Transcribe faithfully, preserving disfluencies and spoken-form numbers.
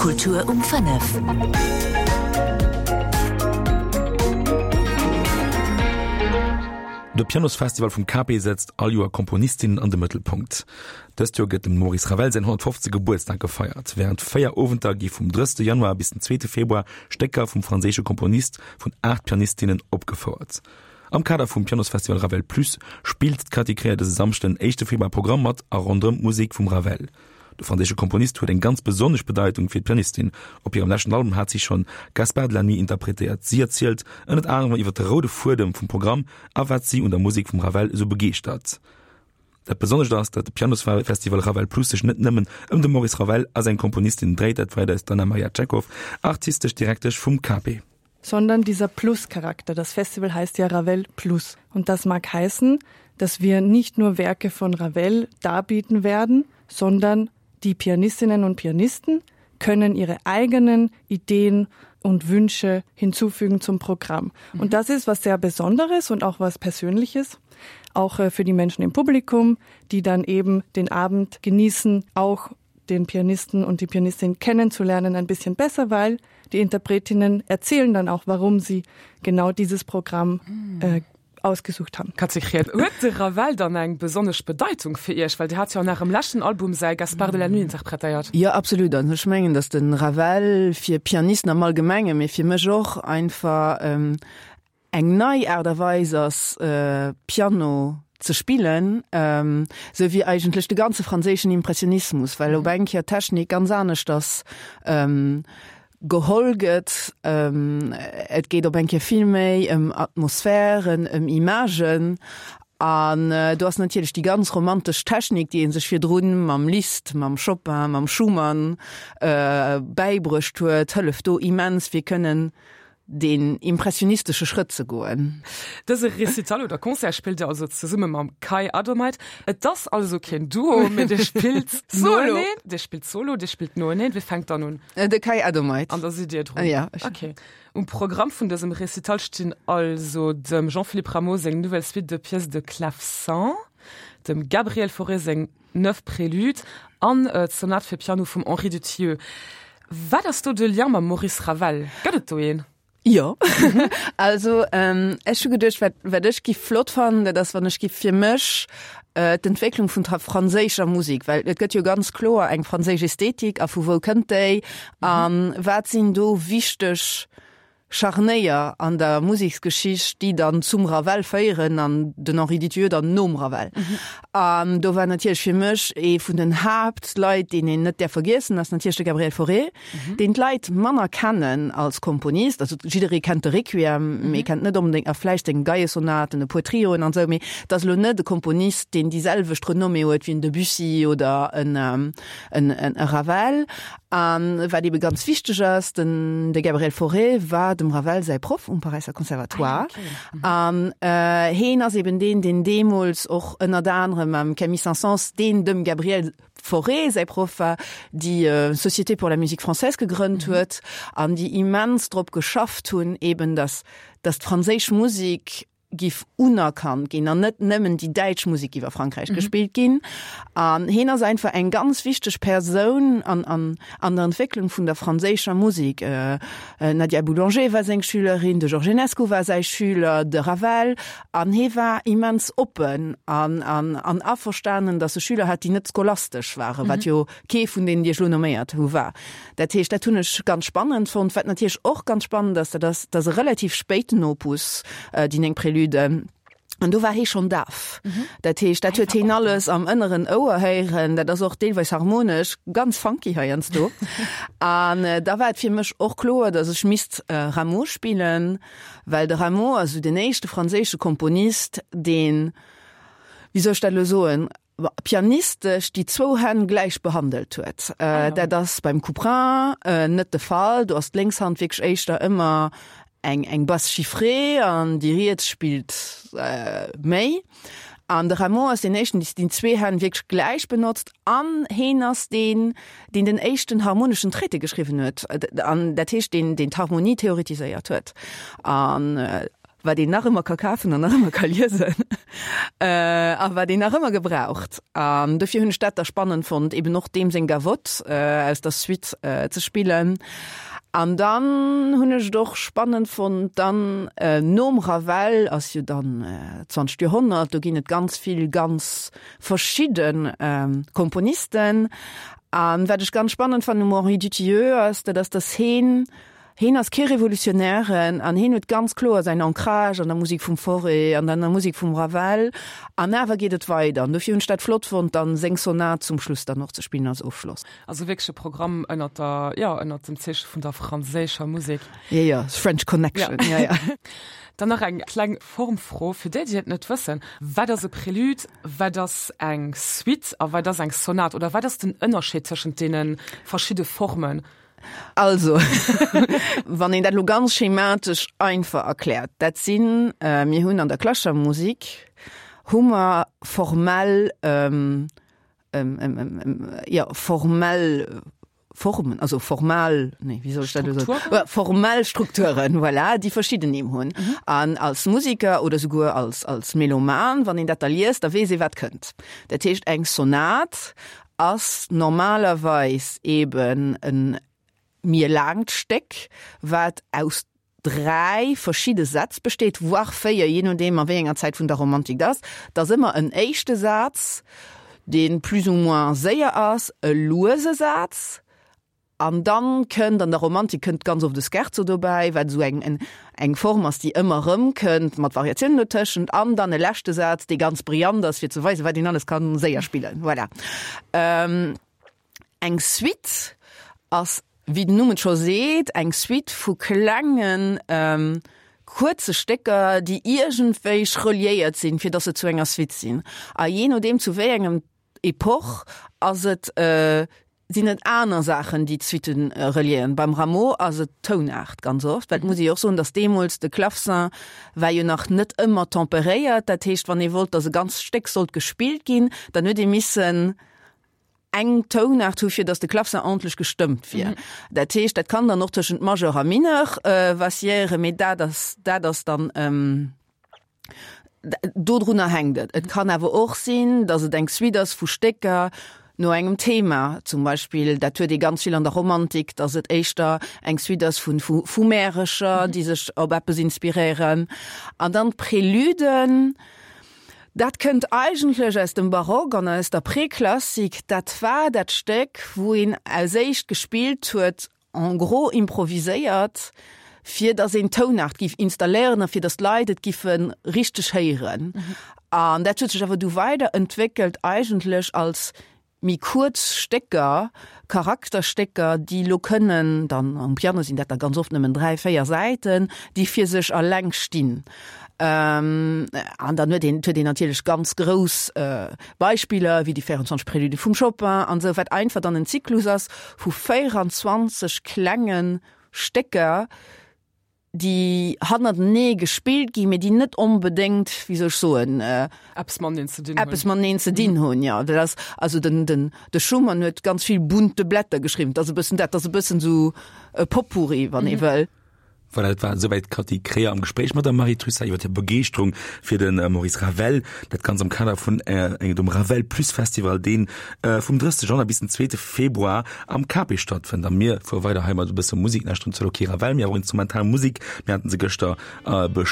Kultur um fënnef. De Pianosfestival vum K P setzt all Joer Komponistinnen an de Mëttelpunkt. Dëst Joer gëtt dem Maurice Ravel säin honnertfofzeg. Gebuertsdag gefeiert. Wärend véier Owenter gi vum drëssigste Januar bis den zweete Februar Stécker vum franséische Komponist vun aacht Pianistinnen opgefouert. Am Kader vum Pianosfestival Ravel Plus spillt d'Cathy Krier dëse Samschden, éischte Februar Programm mat a ronderëm d'Musek vum Ravel. De franséische Komponist huet eng ganz besonnesch Bedeitung fir d'Pianistin. Op hirem leschten Album hat si schonn Gaspard de la Nuit interpretéiert. Si erzielt ënnert anerem iwwer de roude Fuedem vum Programm a wat si un der Musek vum Ravel esou begeeschtert. Dat Besonnescht ass, datt de Pianosfestival Ravel Plus sech net nëmmen ëm de Maurice Ravel a seng Komponistinnen dréit, dat weist eis d'Anna-Maria Tschechow, artistesch Direktesch vum K P. Sondern dieser Plus-Charakter. Das Festival heißt ja Ravel Plus. Und das mag heißen, dass wir nicht nur Werke von Ravel darbieten werden, sondern die Pianistinnen und Pianisten können ihre eigenen Ideen und Wünsche hinzufügen zum Programm. Mhm. Und das ist was sehr Besonderes und auch was Persönliches, auch äh, für die Menschen im Publikum, die dann eben den Abend genießen, auch den Pianisten und die Pianistin kennenzulernen ein bisschen besser, weil die Interpretinnen erzählen dann auch, warum sie genau dieses Programm mhm. äh, ausgesucht haben. Cathy Krier, huet de Ravel dann eng besonnesch Bedeitung fir Iech, well Dir hat jo an Ärem leschten Album säi Gaspard de la Nuit interpretéiert? Jo, absolut. An ech mengen, dass de Ravel fir Pianisten am Allgemenge, mee fir mech och einfach ähm, eng nei Aart a Weis ass äh, Piano ze spillen, ähm, sou wéi eigentlech de ganze franséischen Impressionismus, well op eng Kéier d'Technik ganz anescht ass ähm, geholl gëtt ähm, et geet op eng Kéier vill méi ëm Atmosphären, ëm Imagen an äh, do ass natierlech déi ganz romantesch Technik, déi ee sech virdrun mam Liszt, mam Chopin, mam Schumann äh, bäibruecht huet, hëlleft do immens fir kënnen den impressionistesche Schrëtt ze goen. Dëse Recital oder Concert spillt Dir also zesumme mam Kai Adomeit. Et ass also keen Duo, mee Dir spillt Solo. Dir spillt Solo, Dir spillt noeneen. Wie fänkt dann un? Äh, de Kai Adomeit. An da sidd Dir drun. Ja. Okay. Um Programm vun dësem Recital stinn also dem Jean-Philippe Rameau seng Nouvelle Suite de pièces de clavecin, dem Gabriel Fauré seng Neuf Préludes an äh, d'Sonat fir Piano vum Henri Dutilleux. Wat ass do de Lien mam Maurice Ravel? Gëtt et do een? Jo also ähm, ech hu geduecht wat, wat ech géif flott fannen, dat ass wann ech géif fir mech äh, d'Entwécklung vun der franséischer Musek, well et gëtt jo ganz kloer eng franséisch Ästhetik a vu wou kënnt déi an mhm. wat sinn do wichteg Scharnéier an der Museksgeschicht, déi dann zum Ravel féieren an den Henri Dutilleux dann nom Ravel. Mhm. Um, do war natierlech fir mech ee vun den Haaptleit, deen een net däerf vergiessen, ass natierlech de Gabriel Fauré, mhm. deen d'Leit manner kennen als Komponist, also jidderee kennt de Requiem, mhm. mee kennt net onbedéngt a vläicht seng Geiesonaten, e puer Trioen an sou, mee dat ass lo net de Komponist, deen déi selwecht Renommée huet wéi en Debussy oder en, ähm, en, en, en Ravel. An wat ebe ganz wichteg ass, den de Gabriel Fauré war dem Ravel säi Proff um Paräisser Conservatoire. An ah, okay. äh, hien ass eben deen, deen deemools och ënnert anerem mam Camille Saint-Saëns, deen dem Gabriel Fauré säi Proff war, déi äh, Société pour la musique française gegrënnt mhm. huet, an déi immens drop geschafft hunn, eben dass, dass d'franséisch Musek géif unerkannt ginn an net nëmmen déi däitsch Musek iwwer Frankräich mhm. gespillt ginn. An hien ass einfach eng ganz wichteg Persoun an, an, an der Entwécklung vun der franséischer Musek. Äh, äh, Nadia Boulanger war seng Schülerin, de Georges Enesco war säi Schüler, de Ravel an hie war immens oppen an, an, an averstanen, dass e Schüler hat, déi net scholastesch waren, mhm. wat jo kee vun deenen, déi ech lo nomméiert hu war. Dat heescht, dat hunn ech ganz spannend fonnt, wat natierlech och ganz spannend ass, dat ass, dat ass e relativ spéiten Opus, äh, déi néng Préluden. An do war hie schonn daf. Mhm. Dat heescht, dat huet hien alles am ënneren Ouer héieren, dat ass och deelweis harmonesch ganz funky heiansdo. An äh, da war et fir mech och kloer, dass ech misst äh, Rameau spillen, well de Rameau ass den éischte franséische Komponist, deen, wéi soll ech dat lo soen, pianistesch déi zwou Hänn gläich behandelt huet. Äh, ah, ja. Dat ass beim Couperin äh, net de Fall, do ass d'lénks Hand wierklech éischter ëmmer eng eng Basse chiffrée an déi riets spillt äh, méi. An de Rameau ass deen éischten, deen déi zwee Hänn wierklech gläich benotzt an hien ass deen, deen den éischten harmoneschen Traité geschriwwen huet an dat heescht deen deen d'Harmonie theoretiséiert huet. An äh, wat een nach ëmmer ka kafen an nach ëmmer ka liesen a wat een nach ëmmer gebraucht. An dofir hunn ech dat da spannend fonnt, eben och deem seng Gavotte aus der Suite ze spillen. An dann hunn ech et och spannend fonnt, dann nom Ravel ass jo dann zwanzegt Joerhonnert, do ginn et ganz vill ganz verschidde Komponisten. An wat ech ganz spannend fannen um Henri Dutilleux ass, dat ass, dass heen, heen ass kee Revolutionären an heen huet ganz kloer säin Ancrage an der Musek vum Fauré an an der Musek vum Ravel an awer geet et weider. An dofir hunn ech dat flott fonnt, dann seng Sonat zum Schluss dann och ze spillen als Ofschloss. Also wierklech e Programm ënnert der, jo, ënnert dem Zeeche vun der franséischer Musek. Jo, jo, French Connection, jo, jo. Dann nach eng kleng Formfro fir déi, déi et net wëssen, Wat ass e Prélude, wat ass eng Suite a wat ass eng Sonat? Oder wat ass den Ënnerscheed tëschent deene verschidde Formen? Also, wann een dat elo ganz schematesch einfach erkläert, dat sinn, mir hunn an der klassescher Musik hu mer formell, jo, formell Formen, also formal, nee, wéi soll ech dat elo soen? Strukturen? Formell Strukturen, voilà, déi verschidden Nimm hunn. An als Musiker oder souguer als, als Meloman, wann een dat da liest, da weess ee wat kënnt. Dat heescht, eng Sonat ass normalerweis eben e méi laangt Stéck, wat aus dräi verschidde Sätz besteet, voire véier, jee nodeem a wéi enger Zäit vun der Romantik et ass. Et ass ëmmer en éischte Saz, dee plus ou moins séier ass, e luese Saz, an dann kënnt, an der Romantik kënnt ganz oft e Scherzo dobäi, wat esou eng, eng Form ass, déi ëmmer erëm kënnt, mat Variatiounen dotëschent, an dann e leschte Saz, dee ganz brillant ass, fir ze weisen, wat een alles ka séier spillen. Voilà. Eng Suite ass, wéi den Numm et scho seet, eng Suite vu klengen, kuerze Stécker, déi iergendwéi reliéiert sinn, fir datt se zu enger Suite sinn. A jee nodeem zu wéi engem Epoch ass et, sinn et aner Saachen, déi d'Suitte reliéieren. Beim Rameau ass et d'Tounaart ganz oft, well et muss ee jo och soen, datt deemools de Clavecin war jo nach net ëmmer temperéiert. Dat heescht, wann ee wollt, datt e ganzt Stéck sollt gespillt ginn, dann huet ee missen eng Tounaart hu fir datt de Clavecin ordentlech gestëmmt wier. Dat heescht, dat kann dann och tëschent Majeur a Mineur vacilléieren, mee dat ass, dat ass dann, Dodrunner hänkt et. Et kann awer och sinn, datt et eng Suite ass vu Stécker no engem Thema. Zum Beispill, dat huet ee ganz vill an der Romantik, datt et éischter eng Suite ass vu vu Märecher, déi sech op eppes inspiréieren. An dann d'Prelüden, dat kënnt eigentlech aus dem Barock an aus der Preklassik. Dat war dat Stéck, wou een als éischt gespillt huet, en gros improviséiert, fir datt een d'Tounaart giff installéieren a fir datt d'Leit et giffe richteg héieren. An dat huet sech awer du weider entwéckelt eigentlech als méi kuerz Stécker, Charakterstécker, déi elo kënnen dann, um Piano sinn dat da ganz oft nëmmen dräi, véier Säiten, déi fir sech alleng stinn. An dann huet een, huet een natierlech ganz grouss Beispiller, wéi déi véierundzwanzeg Prélude vum Chopin an esou, wat einfach dann en Zyklus ass vu véieranzwanzeg klenge Stécker, déi hannertenee gespillt ginn, mee déi net onbedéngt, wéi soll ech soen, eppes mateneen ze dinn hunn. Eppes mateneen ze dinn hunn, jo. Dat ass, also den, den, de Schumann huet ganz vill bunte Blätter geschriwwen. Dat ass e bëssen dat, dat ass e bëssen esou e Potpourri, wann ee wëll. Voilà, dat war esouwäit d'Cathy Kremer am Gespréich mat der Marie Trussart iwwer hir Begeeschterung fir de Maurice Ravel. Dat Ganzt am Kader vun engem Ravel Plus Festival, dee vum drëssegste Januar bis den zweete Februar am Cape stattfënnt. A mir fuere weider hei mat e bësse Musek, lauschteren zwar elo kee Ravel, mee awer instrumental Musek. Mir haten se gëschter beschwat.